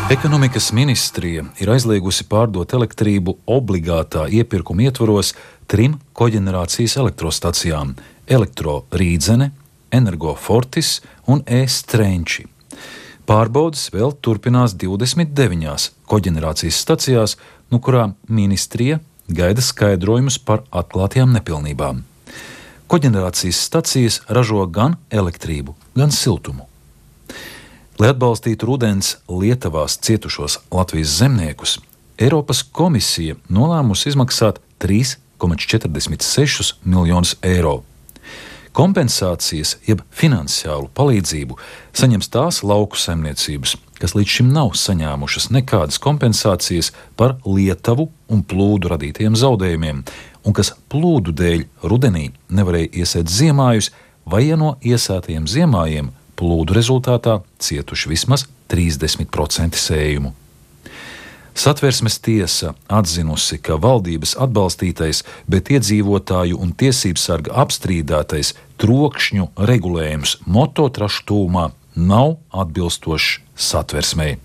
Ekonomikas ministrija ir aizliegusi pārdot elektrību obligātā iepirkuma ietvaros 3 koģenerācijas elektrostacijām – Elektrorīdzene, Energofortis un E-Strenči. Pārbaudes vēl turpinās 29 koģenerācijas stacijās, no kurām ministrija gaida skaidrojumus par atklātajām nepilnībām. Koģenerācijas stacijas ražo gan elektrību, gan siltumu. Lai atbalstītu rudens Lietavās cietušos Latvijas zemniekus, Eiropas komisija nolēmusi izmaksāt 3,46 miljonus eiro. Kompensācijas, jeb finansiālu palīdzību saņems tās lauku saimniecības, kas līdz šim nav saņēmušas nekādas kompensācijas par Lietavu un plūdu radītajiem zaudējumiem, un kas plūdu dēļ rudenī nevarēja iesēt ziemājus, vai ja no iesētajiem ziemājiem plūdu rezultātā cietuši vismaz 30% sējumu. Satversmes tiesa atzinusi, ka valdības atbalstītais, bet iedzīvotāju un tiesību sarga apstrīdētais trokšņu regulējums mototrašu tūmā nav atbilstošs Satversmei.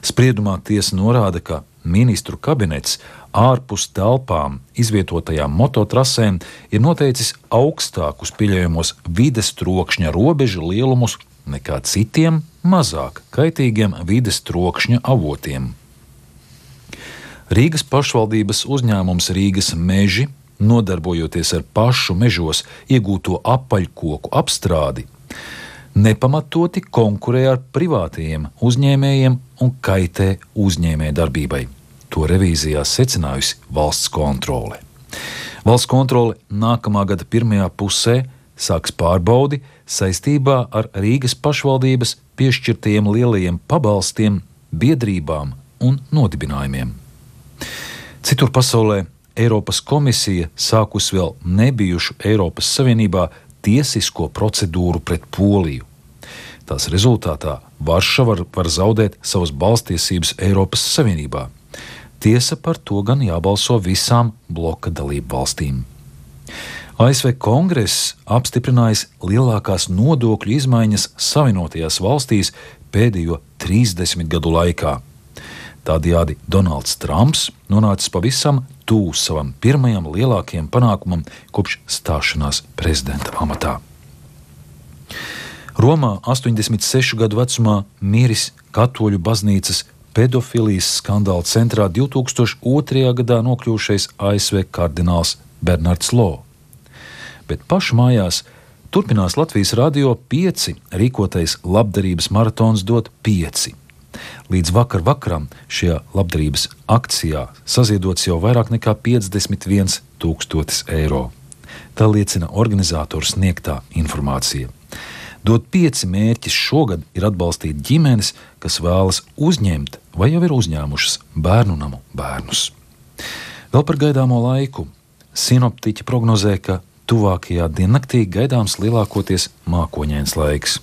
Spriedumā tiesa norāda, ka ministru kabinets ārpus telpām izvietotajām mototrasēm ir noteicis augstākus pieļaujamos vides trokšņa robežu lielumus nekā citiem mazāk kaitīgiem vides trokšņa avotiem. Rīgas pašvaldības uzņēmums Rīgas meži, nodarbojoties ar pašu mežos iegūto apaļkoku apstrādi, nepamatoti konkurē ar privātajiem uzņēmējiem un kaitē uzņēmēju darbībai. To revīzijā secinājusi valsts kontrole. Valsts kontrole nākamā gada pirmajā pusē sāks pārbaudi saistībā ar Rīgas pašvaldības piešķirtajiem lielajiem pabalstiem, biedrībām un nodibinājumiem. Citur pasaulē Eiropas komisija sākusi vēl nebijušu Eiropas Savienībā tiesisko procedūru pret Poliju. Tās rezultātā Varšava var zaudēt savas balstiesības Eiropas Savienībā. Tiesa par to gan jābalso visām bloka dalību valstīm. ASV Kongress apstiprinājis lielākās nodokļu izmaiņas Savienotajās valstīs pēdējo 30 gadu laikā. Tādējādi Donalds Trumps nonācis pavisam tuvu savam pirmajam lielākajam panākumam kopš stāšanās prezidenta amatā. Romā 86 gadu vecumā miris Katoļu baznīcas pedofilijas skandāla centrā 2002. gadā nokļuvušais ASV kardināls Bernards Lo. Bet pašu mājās turpinās Latvijas Radio 5 rīkotais labdarības maratons dot 5. Līdz vakaram šajā labdarības akcijā saziedots jau vairāk nekā 51 000 eiro. Tā liecina organizātoru sniegtā informācija. Dot 5 mērķis šogad ir atbalstīt ģimenes, kas vēlas uzņemt vai jau ir uzņēmušas bērnu namu bērnus. Vēl par gaidāmo laiku. Sinoptiķi prognozē, ka tuvākajā diennaktī gaidāms lielākoties mākoņains laiks.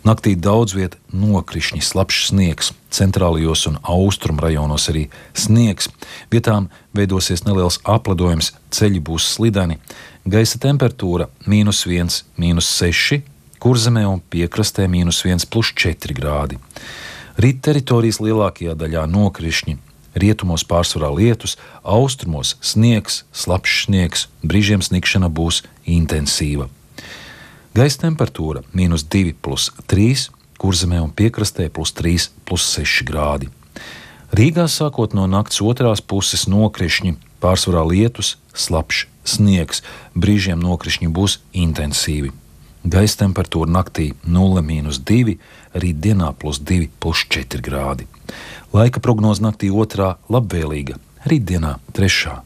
Naktī daudz viet nokrišņi, slapjš sniegs, centrālajos un austrumu rajonos arī sniegs. Vietām veidosies neliels apledojums, ceļi būs slideni, gaisa temperatūra -1, -6, Kurzemē un piekrastē -1,+4 grādi. Rīt teritorijas lielākajā daļā nokrišņi, rietumos pārsvarā lietus, austrumos sniegs, slapjš sniegs, brīžiem sniegšana būs intensīva. Gaisa temperatūra -2,3, Kurzemē un piekrastē +3,6 grādi. Rīgā sākot no nakts otrās puses nokrišņi, pārsvarā lietus, slapjš sniegs, brīžiem nokrišņi būs intensīvi. Gaisa temperatūra naktī 0,-2, rītdienā +2,+4 grādi. Laika prognoze naktī 2. labvēlīga, rītdienā 3.